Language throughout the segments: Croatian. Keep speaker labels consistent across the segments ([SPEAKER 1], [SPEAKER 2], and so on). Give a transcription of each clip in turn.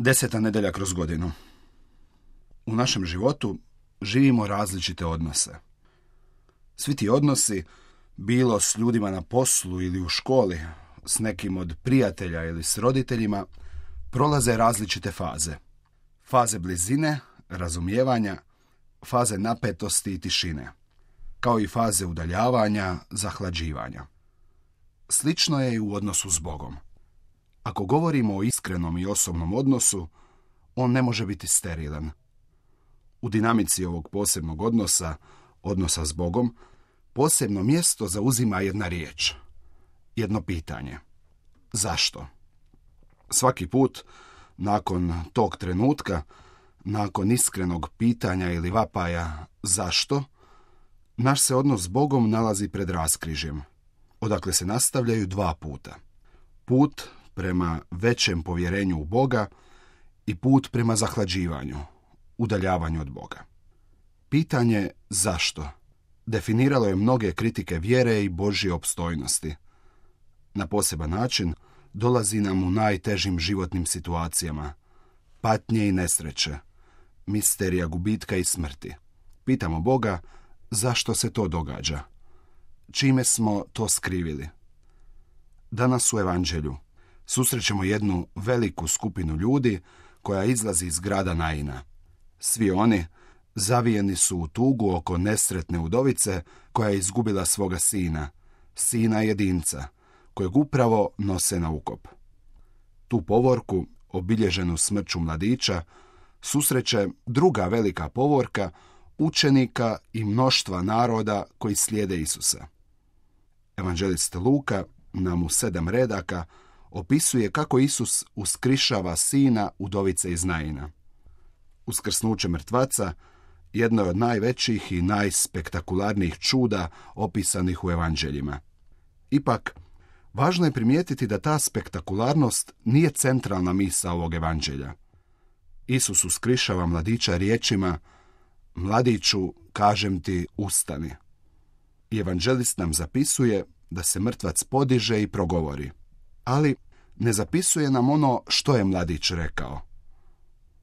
[SPEAKER 1] 10. nedjelja kroz godinu. U našem životu živimo različite odnose. Svi ti odnosi, bilo s ljudima na poslu ili u školi, s nekim od prijatelja ili s roditeljima, prolaze različite faze. Faze blizine, razumijevanja, faze napetosti i tišine, kao i faze udaljavanja, zahlađivanja. Slično je i u odnosu s Bogom. Ako govorimo o iskrenom i osobnom odnosu, on ne može biti sterilan. U dinamici ovog posebnog odnosa s Bogom, posebno mjesto zauzima jedna riječ, jedno pitanje. Zašto? Svaki put, nakon tog trenutka, nakon iskrenog pitanja ili vapaja zašto, naš se odnos s Bogom nalazi pred raskrižjem, odakle se nastavljaju dva puta. Put prema većem povjerenju u Boga i put prema zahlađivanju, udaljavanju od Boga. Pitanje zašto definiralo je mnoge kritike vjere i Božje opstojnosti. Na poseban način dolazi nam u najtežim životnim situacijama, patnje i nesreće, misterija gubitka i smrti. Pitamo Boga zašto se to događa, čime smo to skrivili. Danas u Evanđelju susrećemo jednu veliku skupinu ljudi koja izlazi iz grada Naina. Svi oni zavijeni su u tugu oko nesretne udovice koja je izgubila svoga sina jedinca, kojeg upravo nose na ukop. Tu povorku, obilježenu smrću mladića, susreće druga velika povorka učenika i mnoštva naroda koji slijede Isusa. Evanđelist Luka nam u 7 redaka opisuje kako Isus uskrišava sina udovice iz Naina. Uskrsnuće mrtvaca jedno je od najvećih i najspektakularnijih čuda opisanih u evanđeljima. Ipak, važno je primijetiti da ta spektakularnost nije centralna misao ovog evanđelja. Isus uskrišava mladića riječima: "Mladiću, kažem ti, ustani." I evanđelist nam zapisuje da se mrtvac podiže i progovori. Ali ne zapisuje nam ono što je mladić rekao.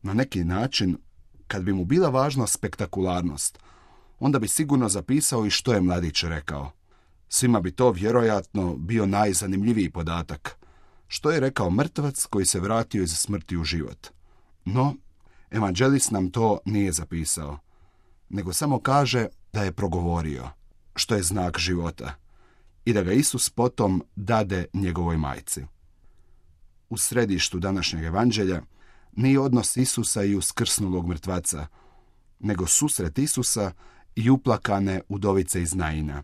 [SPEAKER 1] Na neki način, kad bi mu bila važna spektakularnost, onda bi sigurno zapisao i što je mladić rekao. Svima bi to vjerojatno bio najzanimljiviji podatak. Što je rekao mrtvac koji se vratio iz smrti u život? No, evanđelist nam to nije zapisao, nego samo kaže da je progovorio, što je znak života, i da ga Isus potom dade njegovoj majci. U središtu današnjeg evanđelja nije odnos Isusa i uskrsnulog mrtvaca, nego susret Isusa i uplakane udovice iz Naina.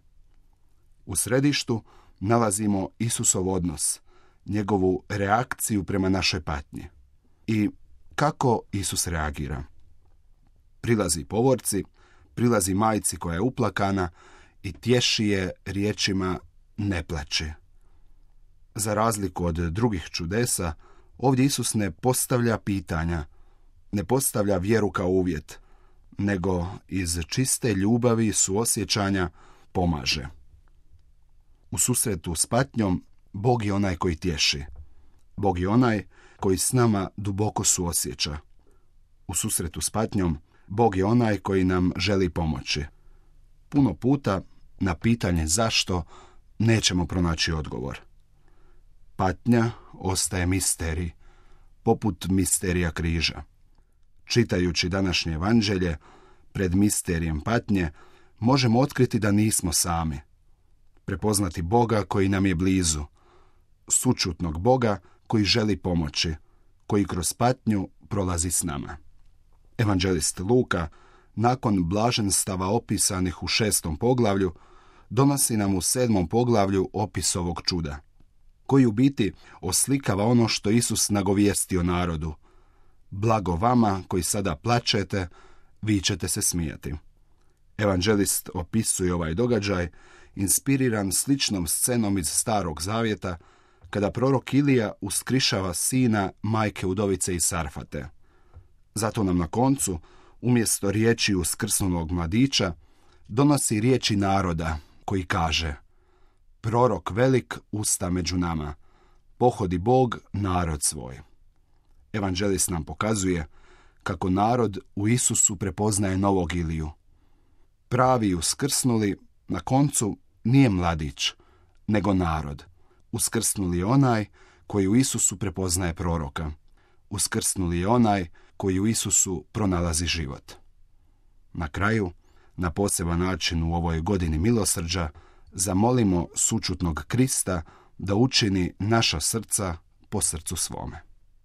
[SPEAKER 1] U središtu nalazimo Isusov odnos, njegovu reakciju prema našoj patnji. I kako Isus reagira? Prilazi povorci, prilazi majci koja je uplakana i tješi je riječima: "Ne plači." Za razliku od drugih čudesa, ovdje Isus ne postavlja pitanja, ne postavlja vjeru kao uvjet, nego iz čiste ljubavi i suosjećanja pomaže. U susretu s patnjom, Bog je onaj koji tješi. Bog je onaj koji s nama duboko suosjeća. U susretu s patnjom, Bog je onaj koji nam želi pomoći. Puno puta na pitanje zašto nećemo pronaći odgovor. Patnja ostaje misterij, poput misterija križa. Čitajući današnje evanđelje, pred misterijem patnje, možemo otkriti da nismo sami. Prepoznati Boga koji nam je blizu, sućutnog Boga koji želi pomoći, koji kroz patnju prolazi s nama. Evanđelist Luka, nakon blaženstava opisanih u 6. poglavlju, donosi nam u 7. poglavlju opis ovog čuda, koji u biti oslikava ono što Isus nagovijestio narodu: "Blago vama koji sada plačete, vi ćete se smijati." Evanđelist opisuje ovaj događaj inspiriran sličnom scenom iz Starog zavjeta, kada prorok Ilija uskrišava sina majke udovice iz Sarfate. Zato nam na koncu, umjesto riječi uskrsnulog mladića, donosi riječi naroda koji kaže: "Prorok velik usta među nama, pohodi Bog narod svoj." Evanđelist nam pokazuje kako narod u Isusu prepoznaje novog Iliju. Pravi uskrsnuli na koncu nije mladić, nego narod. Uskrsnuli je onaj koji u Isusu prepoznaje proroka. Uskrsnuli je onaj koji u Isusu pronalazi život. Na kraju, na poseban način u ovoj godini milosrđa, zamolimo sućutnog Krista da učini naša srca po srcu svome.